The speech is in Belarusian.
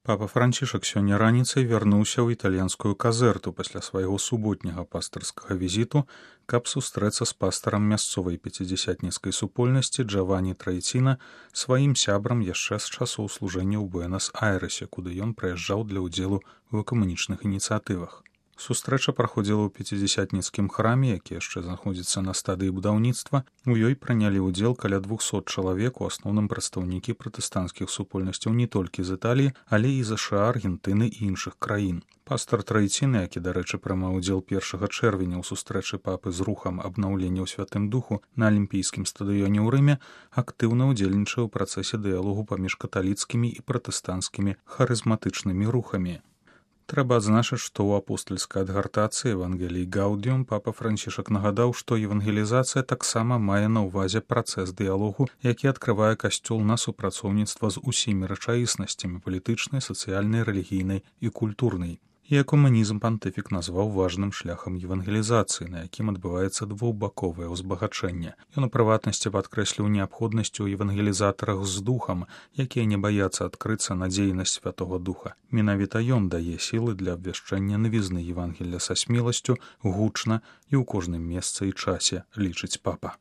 Папа Францішак сёння раніцай вярнуўся ў італьянскую казэрту пасля свайго суботняга пастырскага візіту, каб сустрэцца з пастарам мясцовай пяцідзясятніцкай супольнасці Джавані Трайціна, сваім сябрам яшчэ з часоў служэння ў Буэнас-Айрэсе, куды ён прыязджаў для ўдзелу ў экумэнічных ініцыятывах. Сустрэча праходзіла ў пяцідзясятніцкім храме, які яшчэ знаходзіцца на стадыі будаўніцтва. У ёй прынялі ўдзел каля 200 чалавек, у асноўным прадстаўнікі пратэстанцкіх супольнасцяў не толькі з Італіі, але і ЗША, Аргентыны і іншых краін. Пастар Трайцін, які, дарэчы, прымаў удзел 1 чэрвеня ў сустрэчы папы з рухам абнаўлення ў Святым Духу на алімпійскім стадыёне ў Рыме, актыўна ўдзельнічаў у працэсе дыялогу паміж каталіцкімі і пратэстанцкімі харызматычнымі рухамі. Трэба адзначыць, што ў апостальскай адгартацыі Евангелій Гаудіум папа Францішак нагадаў, што евангелізацыя таксама мае на ўвазе працэс дыялогу, які адкрывае касцёл на супрацоўніцтва з усімі рэчаіснасцямі палітычнай, сацыяльнай, рэлігійнай і культурнай. І экумэнізм пантыфік назваў важным шляхам евангелізацыі, на якім адбываецца двухбаковае ўзбагачэнне. Ён у прыватнасці падкрэсліў неабходнасць у евангелізатарах з духам, якія не баяцца адкрыцца на дзейнасць Святога Духа. Менавіта ён дае сілы для абвяшчэння навізны Евангелля са смеласцю, гучна і ў кожным месцы і часе, лічыць папа.